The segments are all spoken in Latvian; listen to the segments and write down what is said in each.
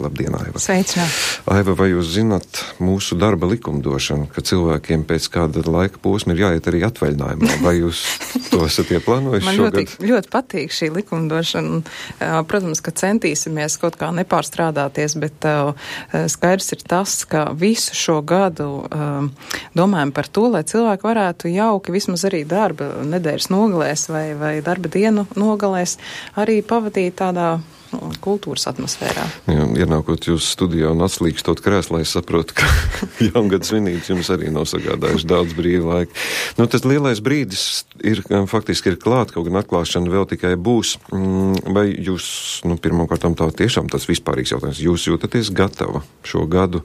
Labdien, Aiva. Sveicināt. Aiva, vai jūs zināt mūsu darba likumdošanu, ka cilvēkiem pēc kāda laika posma ir jāiet arī atvaļinājumā? Vai jūs to esat ieplānojuši šogad? Man ļoti patīk šī likumdošana. Protams, ka centīsimies kaut kā nepārstrādāties, bet skaidrs ir tas, ka visu šo gadu domājam par to, lai cilvēki varētu jauki vismaz arī darba nedēļas nogalēs vai darba dienu nogalēs arī pavadīt tādā kultūras atmosfērā. Jā, ienākot jūs studijā un atslīkstot krēslā, es saprotu, ka jaungada svinības jums arī nav sagādājuši daudz brīva laika. Nu, tas lielais brīdis faktiski ir klāt, kaut gan atklāšana vēl tikai būs. Vai jūs, pirmkārtām tā tiešām tas vispārīgs jautājums, jūs jūtaties gatava šo gadu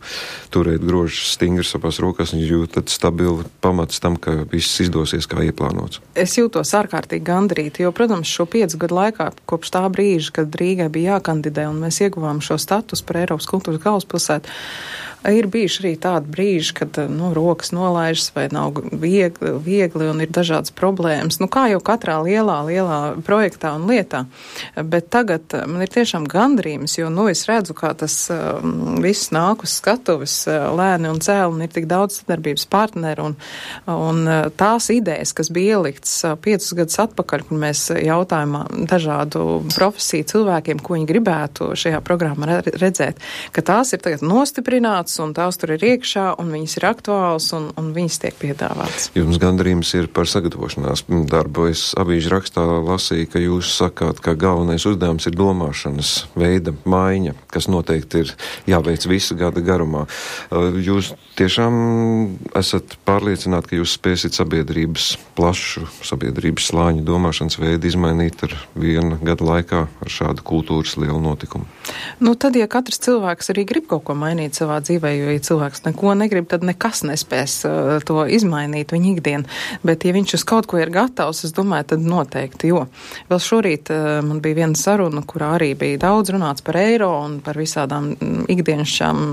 turēt grožus stingri savās rokās un jūtat stabili pamats tam, ka viss izdosies kā ieplānots? Es jūtos ārkārtīgi gandrīti, jo, protams, šo 5 gadu laikā, kopš tā brīža, kad Rīgai bija jākandidē un mēs ieguvām šo status par Eiropas kultūras galvaspilsētu, ir bijuši arī tādi brīži, kad rokas nolaižas vai nav viegli un ir dažādas problēmas. Kā jau katrā lielā projektā un lietā. Bet tagad man ir tiešām gandrījums, jo es redzu, kā tas viss nāk uz skatuves lēni un cēli un ir tik daudz sadarbības partneru un tās idejas, kas bija ieliktas 5 gadus atpakaļ, kur mēs jautājām dažādu profesiju cilvēkiem, ko viņi gribētu šajā programmā redzēt, ka tās ir tagad nostiprinātas un tās tur ir iekšā, un viņas ir aktuāls, un viņas tiek piedāvāts. Jums gandrījums ir par sagatavošanās darbu. Es avīžu rakstā lasīju, ka jūs sakāt, ka galvenais uzdevums ir domāšanas veida maiņa, kas noteikti ir jāveic visu gada garumā. Jūs tiešām esat pārliecināti, ka jūs spēsit plašu sabiedrības slāņu domāšanas veidu izmainīt ar 1 gada laikā ar šādu kultūras lielu notikumu? Tad, ja katrs cilvēks arī grib kaut ko mainīt savā dzīvē, jo, ja cilvēks neko negrib, tad nekas nespēs to izmainīt viņa ikdienu. Bet, ja viņš uz kaut ko ir gatavs, es domāju, tad noteikti, jo vēl šorīt man bija viena saruna, kurā arī bija daudz runāts par eiro un par visādām ikdienišķām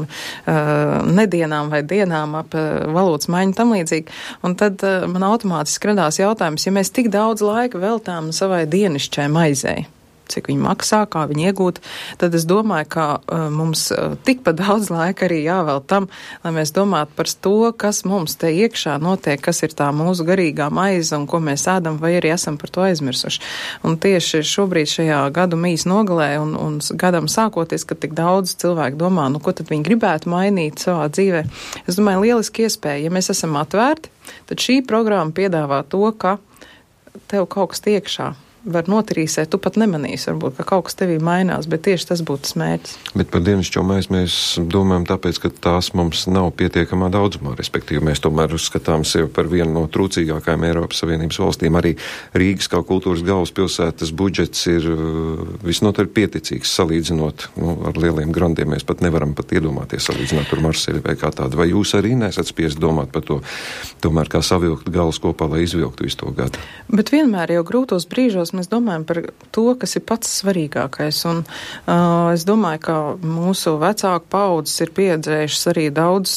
nedienām vai dienām ap valodas maiņu tam līdzīgi. Un tad man automātiski radās jautājums, ja mēs tik daudz laika veltām savai dienišķai maizei, cik viņi maksā, kā viņi iegūt, tad es domāju, ka mums tikpat daudz laika arī jāvēl tam, lai mēs domātu par to, kas mums te iekšā notiek, kas ir tā mūsu garīgā maize un ko mēs ēdam, vai arī esam par to aizmirsuši. Un tieši šobrīd šajā gadu mīs nogalē un gadam sākoties, kad tik daudz cilvēku domā, ko tad viņi gribētu mainīt savā dzīvē. Es domāju, lieliski iespēja, ja mēs esam atvērti, tad šī programma piedāvā to, ka tev kaut kas iekšā var notrīsēt, tu pat nemanīsi, varbūt, ka kaut kas tevī mainās, bet tieši tas būtu tas mērķis. Bet par dienascho maizi mēs domājam tāpēc, ka tās mums nav pietiekamā daudzumā, respektīvi mēs tomēr uzskatām sevi par vienu no trūcīgākajām Eiropas Savienības valstīm. Arī Rīgas kā kultūras galvaspilsētas budžets ir visnotaļ pieticīgs salīdzinot ar lieliem grandiem. Mēs pat nevaram iedomāties salīdzināt ar Marseļu vai kā tādu. Vai jūs arī nesat spiest domāt par to, tomēr kā savilkt galus kopā, lai izvilktu visu to gadu? Bet vienmēr jau grūtos brīžos mēs domājam par to, kas ir pats svarīgākais. Un es domāju, ka mūsu vecāku paudzes ir pieredzējušas arī daudz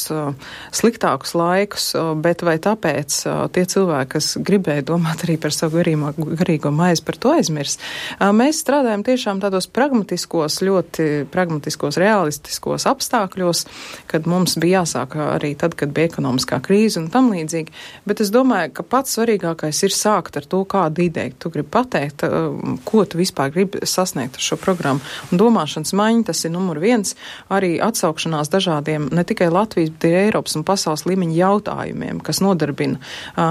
sliktākus laikus, bet vai tāpēc tie cilvēki, kas gribēja domāt arī par savu garīgo maizi, par to aizmirs? Mēs strādājam tiešām tādos ļoti pragmatiskos, realistiskos apstākļos, kad mums bija jāsāk arī tad, kad bija ekonomiskā krīze un tam līdzīgi. Bet es domāju, ka pats svarīgākais ir sākt ar to, kādu ideju tu gribi pateikt, ko tu vispār gribi sasniegt ar šo programmu. Un domāšanas maiņa, tas ir numur 1, arī atsaukšanās dažādiem, ne tikai Latvijas, bet arī Eiropas un pasaules līmeņa jautājumiem, kas nodarbina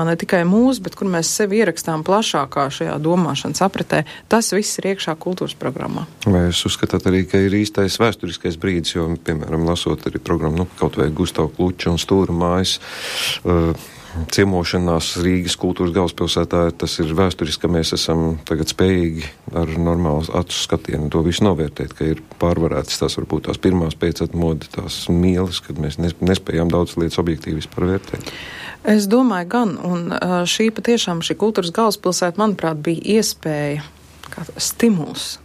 ne tikai mūs, bet kur mēs sevi ierakstām plašākā šajā domāšanas apritē. Tas viss ir iekšā kultūras programmā. Vai jūs uzskatāt arī, ka ir īstais vēsturiskais brīdis, jo, piemēram, lasot arī programmu, kaut vai Gustavu Kluča un Stūra mājas, ciemošanās Rīgas kultūras galvaspilsētā, tas ir vēsturiski, ka mēs esam tagad spējīgi ar normālu acu skatienu to visu novērtēt, ka ir pārvarētas tās varbūt tās pirmās pēcatmodu, tās mīles, kad mēs nespējām daudz lietas objektīvi vispār vērtēt. Es domāju gan, un šī kultūras galvaspilsēta, manuprāt, bija iespēja, kā stimuls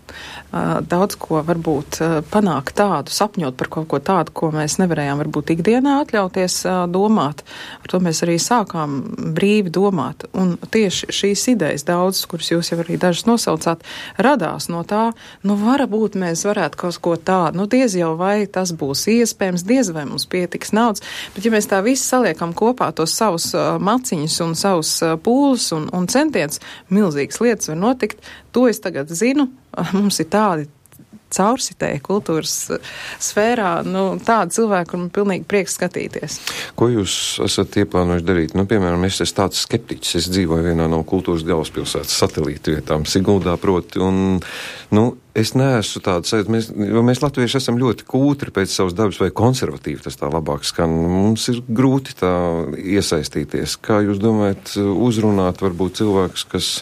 daudz ko varbūt panākt tādu, sapņot par kaut ko tādu, ko mēs nevarējām varbūt ikdienā atļauties domāt. Ar to mēs arī sākām brīvi domāt. Un tieši šīs idejas daudzas, kuras jūs jau arī dažas nosaucāt, radās no tā, varbūt mēs varētu kaut ko tādu, diez jau vai tas būs iespējams, diez vai mums pietiks naudas, bet ja mēs tā visi saliekam kopā tos savus maciņus un savus pūles un centienus, milzīgas lietas var notikt. To es tagad zinu. Mums ir tādi caursitēji kultūras sfērā, tādi cilvēki, un pilnīgi prieks skatīties. Ko jūs esat ieplānojuši darīt? Piemēram, es esmu tāds skeptiķis. Es dzīvoju vienā no kultūras galvaspilsētas satelīta vietām, Siguldā proti, un, es neesmu tāds, jo mēs latvieši esam ļoti kūtri pēc savas dabas vai konservatīvi, tas tā labāk skan. Mums ir grūti tā iesaistīties. Kā jūs domājat uzrunāt varbūt cilvēkus, kas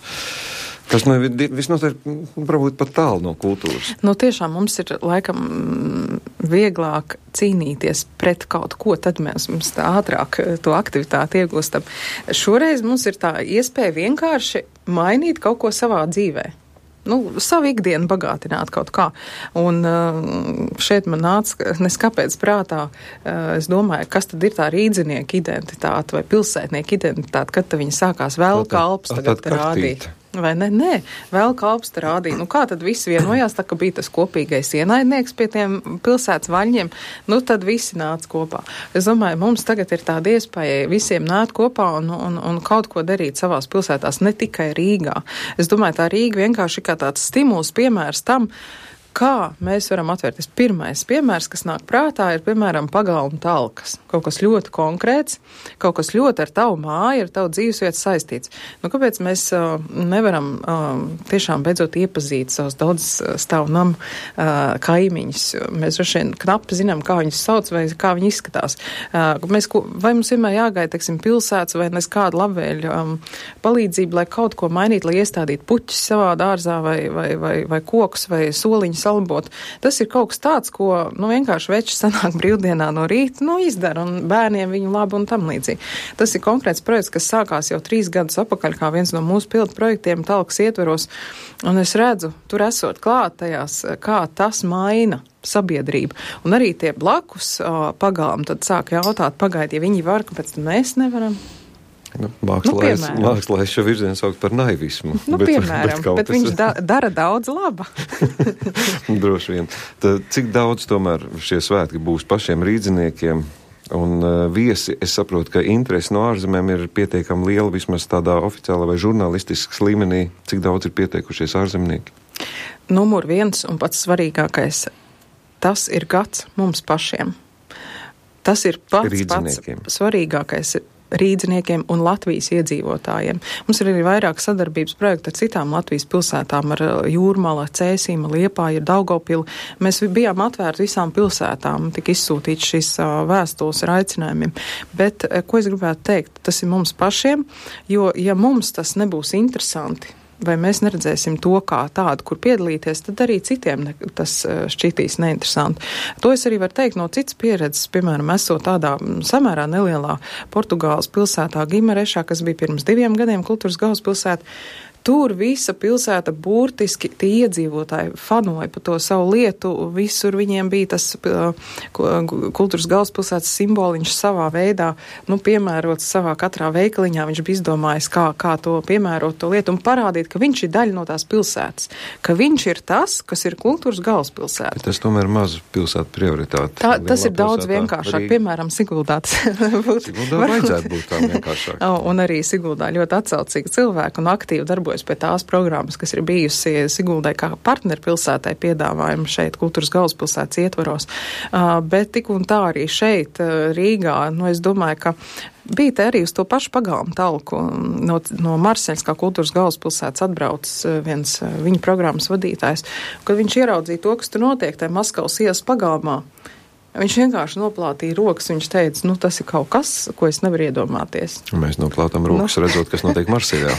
visnotaļ varbūt pat tālu no kultūras? Tiešām mums ir laikam vieglāk cīnīties pret kaut ko, tad mums tā ātrāk to aktivitāti iegūstam. Šoreiz mums ir tā iespēja vienkārši mainīt kaut ko savā dzīvē. Savu ikdienu bagātināt kaut kā. Un šeit man nāca, neskapēc prātā, es domāju, kas tad ir tā rīdzinieka identitāte vai pilsētnieka identitāte, kad viņi sākās vēl kalps tagad rādīt. Vai ne? Nē, vēl kalps rādīja. Kā tad visi vienojās, tā ka bija tas kopīgais ienaidnieks pie tiem pilsētas vaļņiem, tad visi nāca kopā. Es domāju, mums tagad ir tāda iespēja visiem nākt kopā un kaut ko darīt savās pilsētās, ne tikai Rīgā. Es domāju, tā Rīga vienkārši ir kā tāds stimuls, piemērs tam, kā mēs varam atvērties. Pirmais piemērs, kas nāk prātā, ir, piemēram, pagalma talkas. Kaut kas ļoti konkrēts, kaut kas ļoti ar tavu māju, ar tavu dzīvesvietu saistīts. Kāpēc mēs nevaram tiešām beidzot iepazīt savus daudz stāvu namu kaimiņus? Mēs droši vien knapi zinām, kā viņus sauc vai kā viņi izskatās. Vai mums vienmēr jāgaida, pilsētas vai nes kādu labvēļu palīdzību, lai kaut ko mainītu, lai iestādītu puķus savā dārzā vai kokus vai soliņus salabot. Tas ir kaut kas tāds, ko vienkārši veči sanāk brīvdienā no rīta, izdara un bērniem viņu labu un tam līdzīgi. Tas ir konkrēts projekts, kas sākās jau 3 gadus atpakaļ, kā viens no mūsu pildu projektiem talkas ietveros, un es redzu, tur esot klāt tajās, kā tas maina sabiedrību. Un arī tie blakus pagalmi tad sāk jautāt, pagaid, ja viņi var, kāpēc mēs nevaram? Mākslā es šo virzienu saukt par naivismu. Bet viņš dara daudz laba. Droši vien. Tad, cik daudz tomēr šie svētki būs pašiem rīdziniekiem un viesi? Es saprotu, ka interesi no ārzemēm ir pietiekami liela, vismaz tādā oficiālā vai žurnālistiskas līmenī. Cik daudz ir pieteikušies ārzemnieki? Numur 1 un pats svarīgākais, tas ir gads mums pašiem. Tas ir pats svarīgākais rīdziniekiem un Latvijas iedzīvotājiem. Mums ir arī vairāk sadarbības projekti ar citām Latvijas pilsētām, ar Jūrmala, Cēsīma, Liepāju, Daugavpili. Mēs bijām atvērti visām pilsētām, tika izsūtīts šīs vēstules ar aicinājumiem. Bet, ko es gribētu teikt, tas ir mums pašiem, jo, ja mums tas nebūs interesanti, vai mēs neredzēsim to kā tādu, kur piedalīties, tad arī citiem tas šķitīs neinteresanti. To es arī varu teikt no citas pieredzes, piemēram, esot tādā samērā nelielā Portugāles pilsētā Gimarešā, kas bija pirms 2 gadiem kultūras galvaspilsēta. Tur visa pilsēta burtiski tie iedzīvotāji fanoja par to savu lietu. Visur viņiem bija tas kultūras galvaspilsētas simboliņš savā veidā, piemērots savā katrā veikaliņā. Viņš bija izdomājis, kā to piemērot to lietu un parādīt, ka viņš ir daļa no tās pilsētas. Ka viņš ir tas, kas ir kultūras galvaspilsēta. Bet tas tomēr mazu pilsētu prioritāte. Tas ir daudz vienkāršāk. Piemēram, Siguldā. Siguldā vajadzētu būt tā vienkāršāk. Un arī Siguldā ļoti atsaucīgi cilvēki un aktīvi darbojas pie tās programmas, kas ir bijusi Siguldai kā partnerpilsētai piedāvājumu šeit kultūras galvaspilsētas ietvaros. Bet tik un tā arī šeit Rīgā, es domāju, ka bija te arī uz to pašu pagalmu talku. No Marseļas kā kultūras galvaspilsētas atbraucis viens viņa programmas vadītājs, kad viņš ieraudzīja to, kas tur notiek tajā Maskavas ielas pagalmā. Viņš vienkārši noplātīja rokas, viņš teica, tas ir kaut kas, ko es nevaru iedomāties. Mēs noplātām rokas, redzot, kas notiek Marseļā.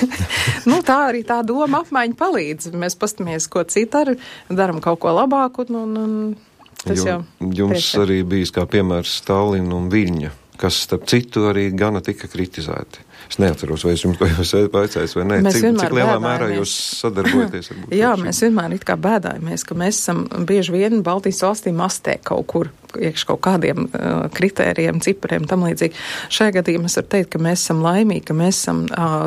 Tā arī tā doma apmaiņa palīdz. Mēs pastamies, ko citu daram kaut ko labāku. Tas jau jums arī bijis kā piemērs Stalina un Viļņa, kas starp citu arī gana tika kritizēti. Es neatceros, vai es jums to jau vaicājis vai nē. Cik lielā mērā jūs sadarbojaties? Jā, mēs vienmēr it kā bēdājamies, ka mēs esam bieži vien Baltijas valstī mastē kaut kur iekš kaut kādiem kritērijiem, cipariem, tam līdzīgi. Šajā gadījumā es varu teikt, ka mēs esam laimīgi, ka mēs esam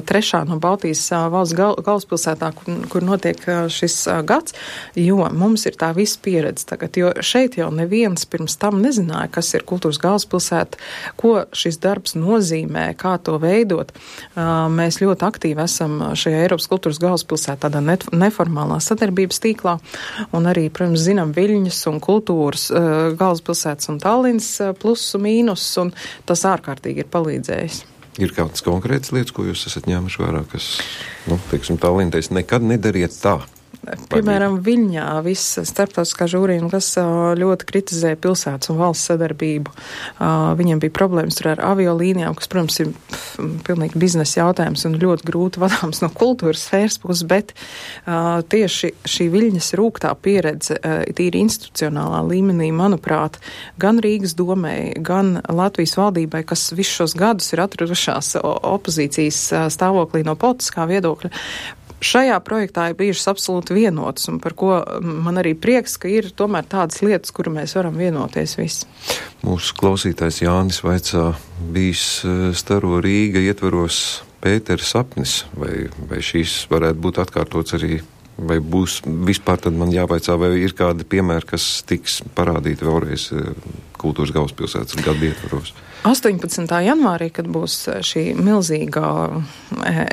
trešā no Baltijas valsts galvaspilsētā, kur notiek šis gads, jo mums ir tā visa pieredze tagad, jo šeit jau neviens pirms tam nezināja, kas ir kultūras galvaspilsēta, ko šis darbs nozīmē, kā to veidot. Mēs ļoti aktīvi esam šajā Eiropas kultūras galvaspilsētā, tādā neformālā sadarbības tīklā, un arī, protams, zinām Viļņas un kultūras galvaspilsētas un Tallinas plusu mīnus, un tas ārkārtīgi ir palīdzējis. Ir kādas konkrētas lietas, ko jūs esat ņēmuši vērā, kas, teiksim, Tallinā nekad nedariet tā? Piemēram, Viļņā viss starptautiskā žūrija, kas ļoti kritizēja pilsētas un valsts sadarbību. Viņiem bija problēmas tur ar aviolīnijām, kas, protams, ir pilnīgi biznesa jautājums un ļoti grūti vadāms no kultūras sfēras puses, bet tieši šī Viļņas rūgtā pieredze, tīri institucionālā līmenī, manuprāt, gan Rīgas domei, gan Latvijas valdībai, kas visus šos gadus ir atradušās opozīcijas stāvoklī no politiskā viedokļa, šajā projektā ir bijušas absolūti vienotas, un par ko man arī prieks, ka ir tomēr tādas lietas, kuru mēs varam vienoties visi. Mūsu klausītājs Jānis vaicā, bijis Staro Rīga ietvaros Pētera sapnis, vai šīs varētu būt atkārtots arī, vai būs vispār, tad man jāvaicā, vai ir kādi piemēri, kas tiks parādīti vēlreiz kultūras galvaspilsētas gadu ietvaros. 18. janvārī, kad būs šī milzīgā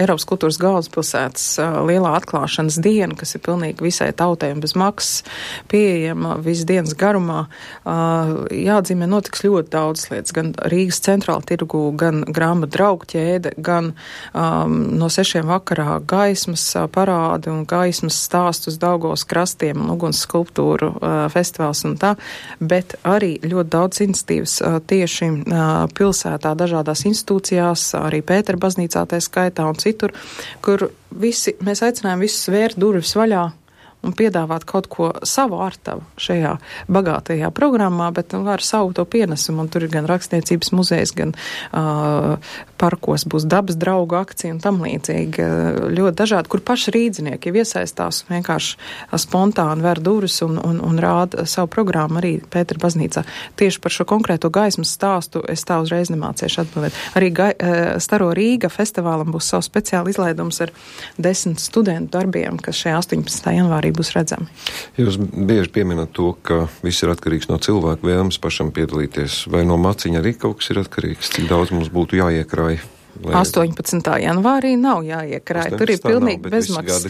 Eiropas kultūras galvaspilsētas lielā atklāšanas diena, kas ir pilnīgi visai tautai un bez maksas pieejama visu dienas garumā, jāatzīmē notiks ļoti daudz lietas, gan Rīgas centrāla tirgu, gan grāmatu draugu ķēde, gan no 6 vakarā gaismas parādi un gaismas stāstu uz Daugavas krastiem un uguns skulptūru festivāls un tā, bet arī ļoti daudz iniciatīvas tieši pilsētā, dažādās institūcijās, arī Pētera baznīcā tā skaitā un citur, kur mēs aicinājām visus vērt durvis vaļā un piedāvāt kaut ko savu ārtavu šajā bagātajā programmā, bet ar savu to pienesumu, un tur ir gan rakstniecības muzejs, gan parkos būs dabas draugu akcija un tam līdzīgi. Ļoti dažādi, kur paši rīdzinieki jau iesaistās un vienkārši spontāni ver durvis un rāda savu programmu arī Pētera baznīcā. Tieši par šo konkrēto gaismas stāstu es tā uzreiz nemāciešu atbildēt. Arī Staro Rīga festivālam būs savs speciāli izlaidums ar 10 studentu darbiem, kas šajā 18. janvārī būs redzami. Jūs bieži pieminat to, ka viss ir atkarīgs no cilvēku vēlmes pašam piedalīties. Vai no maciņa arī kaut kas ir atkarīgs? Cik daudz mums būtu jāiekrāj? 18. janvārī nav jāiekrāj. Tur ir pilnīgi bezmaksas.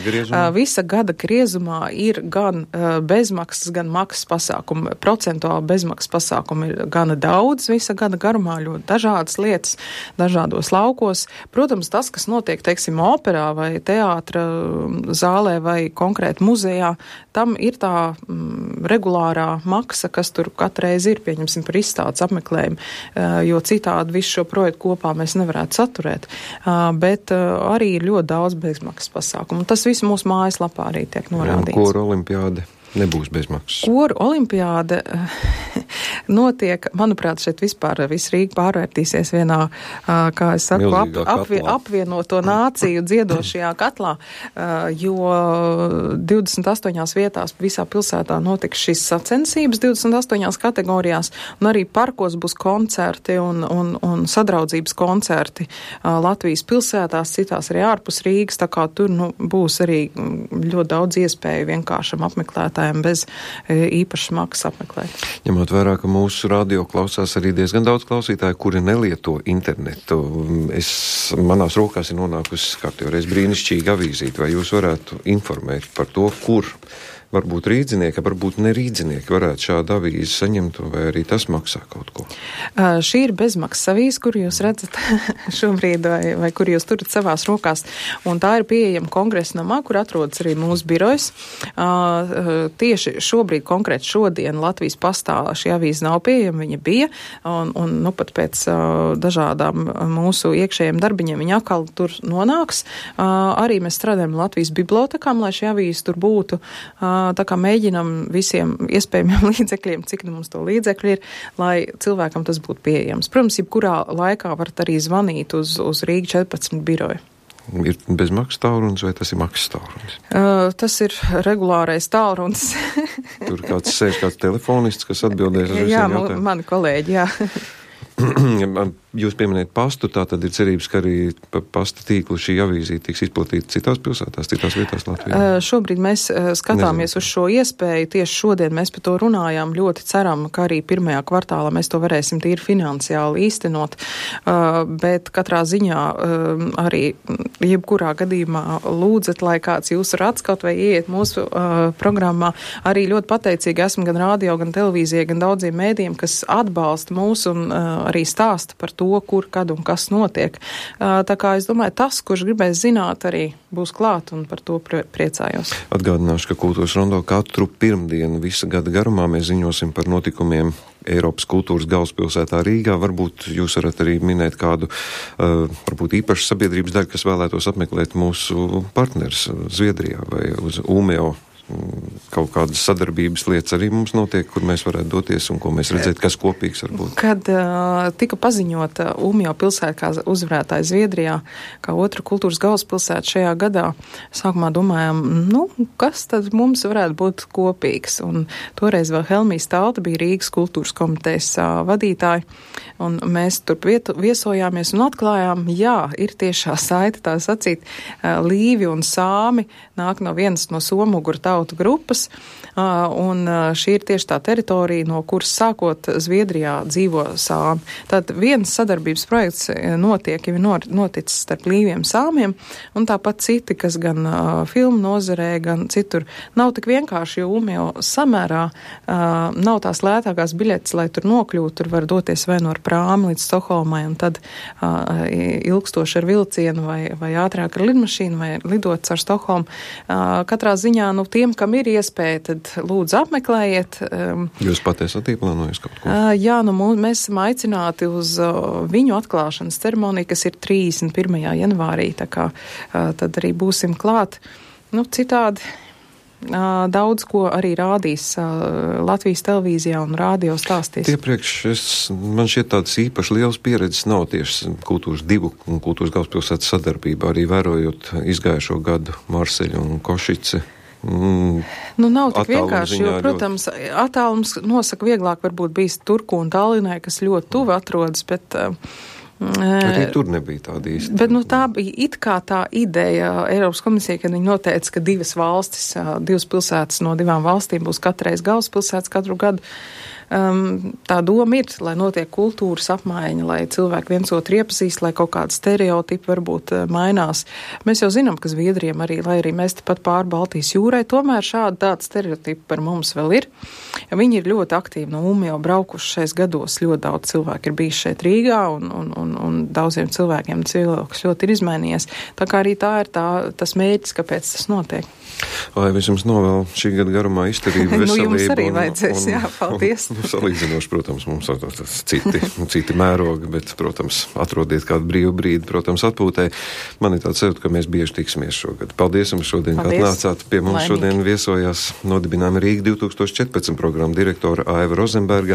Visa gada griezumā ir gan bezmaksas, gan maksas pasākumi. Procentuāli bezmaksas pasākumi ir gana daudz visa gada garumā, ļoti dažādas lietas, dažādos laukos. Protams, tas, kas notiek, teiksim, operā vai teātra zālē vai konkrēti muzejā, tam ir tā regulārā maksa, kas tur katreiz ir, pieņemsim, par izstādes apmeklējumu, jo citādi visu šo projektu kopā mēs nevarētu saturēt, bet arī ir ļoti daudz bezmaksas pasākumu. Tas viss mūsu mājaslapā arī tiek norādīts. Koru olimpiāde nebūs bezmaksas. Koru olimpiāde notiek, manuprāt, šeit vispār viss Rīga pārvērtīsies vienā, kā es saku, apvienoto nāciju dziedošajā katlā, jo 28 vietās visā pilsētā notiks šīs sacensības 28 kategorijās, un arī parkos būs koncerti un sadraudzības koncerti Latvijas pilsētās, citās arī ārpus Rīgas, tā kā tur būs arī ļoti daudz iespēju vienkāršam apmeklētājiem bez īpašas maksas apmeklēt. Ņemot vērā, ka mūsu radio klausās arī diezgan daudz klausītāju, kuri nelieto internetu. Manās rokās ir nonākusi kārtībā brīnišķīga avīzīte. Vai jūs varētu informēt par to, kur varbūt rīdzinieki, varbūt nerīdzinieki varētu šādu avīzi saņemt, vai arī tas maksā kaut ko? Šī ir bezmaksas avīze, kur jūs redzat šobrīd, vai kur jūs turat savās rokās, un tā ir pieejama Kongresa namā, kur atrodas arī mūsu birojs. Tieši šobrīd, konkrēti šodien, Latvijas pastā šī avīze nav pieejama, viņa bija, un pat pēc dažādām mūsu iekšējiem darbiņiem viņa atkal tur nonāks. Arī mēs strādājam Latvijas bibliotekām, lai šī avīze tur būtu. tā kā mēģinam visiem iespējamiem līdzekļiem, cik mums to līdzekļi ir, lai cilvēkam tas būtu pieejams. Protams, jebkurā laikā varat arī zvanīt uz Rīga 14 biroju. Ir bezmaksas tālrunis vai tas ir maksas tālrunis? Tas ir regulārais tālrunis. Tur kāds sēž, kāds telefonists, kas atbildēs uz visiem jautājumiem? Jā, mani kolēģi, jā. Jūs pieminējat pastu, tā tad ir cerības, ka arī pasta tīklu šī avīzīte tiks izplatīta citās pilsētās, citās vietās Latvijā? Šobrīd mēs skatāmies uz šo iespēju. Tieši šodien mēs par to runājām. Ļoti ceram, ka arī pirmajā kvartālā mēs to varēsim tīri finansiāli īstenot. Bet katrā ziņā arī jebkurā gadījumā lūdzat, lai kāds jūsu rats kaut vai ieiet mūsu programmā. Arī ļoti pateicīgi esmu gan radio, gan televīzija, gan daudziem mēdījiem, kas atbalsta mūs un arī stāsta par to, kur, kad un kas notiek. Tā kā es domāju, tas, kurš gribēs zināt, arī būs klāt un par to priecājos. Atgādināšu, ka Kultūras rondo katru pirmdienu visa gada garumā mēs ziņosim par notikumiem Eiropas kultūras galvaspilsētā Rīgā. Varbūt jūs varat arī minēt kādu, varbūt īpašu sabiedrības daļu, kas vēlētos apmeklēt mūsu partners Zviedrijā vai uz Umeå. Kaut kādas sadarbības lietas arī mums notiek, kur mēs varētu doties un ko mēs redzēt, kas kopīgs varbūt. Kad tika paziņota Umeå pilsēta kā uzvarētāja Zviedrijā, kā otra kultūras galvaspilsēta šajā gadā, sākumā domājām, kas tad mums varētu būt kopīgs. Un toreiz vēl Helmijas Talta bija Rīgas kultūras komitejas vadītāja, un mēs tur viesojāmies un atklājām, jā, ir tiešā saite, tā sacīt, līvi un sāmi nāk no vienas no somuguru tautu grupas, un šī ir tieši tā teritorija, no kuras sākot Zviedrijā dzīvo sāmi. Tad viens sadarbības projekts notiek, jau ir noticis starp līviem sāmiem, un tāpat citi, kas gan filmu nozarē, gan citur. Nav tik vienkārši, jo Umeå samērā nav tās lētākās biļetes, lai tur nokļūtu, tur var doties vai no ar prāmi līdz Stokholmai, un tad ilgstoši ar vilcienu vai ātrāk ar lidmašīnu vai lidot ar Stokholmu. Katrā ziņā, tiem, kam ir iespēja, tad lūdzu apmeklējiet. Jūs pat esat ieplānojis kaut ko? Jā, mēs esam aicināti uz viņu atklāšanas ceremoniju, kas ir 31. janvārī, tā kā tad arī būsim klāt. Citādi daudz ko arī rādīs Latvijas televīzijā un radio stāstīs. Iepriekš man šķiet tādas īpaši lielas pieredzes nav tieši kultūras divu un kultūras galvaspilsētas sadarbībā, arī vērojot izgājušo gadu Marseļu un Košici. Nav tik vienkārši, jo, protams, attālums nosaka vieglāk varbūt bijis Turku un Tallinai, kas ļoti tuvi atrodas, bet arī tur nebija tāda īsta. Bet tā bija it kā tā ideja Eiropas komisija, kad viņi noteica, ka divas pilsētas no divām valstīm būs katreiz galvaspilsētas katru gadu. Tā doma ir, lai notiek kultūras apmaiņa, lai cilvēki viens otru iepazīst, lai kaut kādi stereotipi varbūt mainās. Mēs jau zinām, ka Zviedriem arī, lai arī mēs tepat pāri Baltijas jūrai, tomēr tādi stereotipi par mums vēl ir. Viņi ir ļoti aktīvi no Umeå braukuši šais gados. Ļoti daudz cilvēku ir bijis šeit Rīgā un daudziem cilvēkiem tas viedoklis ļoti ir izmainījies. Tā kā arī tā ir tas mērķis, kāpēc tas notiek. Lai es jums novēlu šī gada garumā izturību, veselību. Jums arī vajadzēs, jā, paldies. Salīdzinoši, protams, mums citi mērogi, bet, protams, atrodiet kādu brīvu brīdi, protams, atpūtē. Man ir tāds cerot, ka mēs bieži tiksimies šogad. Paldies jums šodien, ka atnācāt pie mums. Šodien viesojās nodibinājuma Rīga 2014 programma direktora Aiva Rozenberga,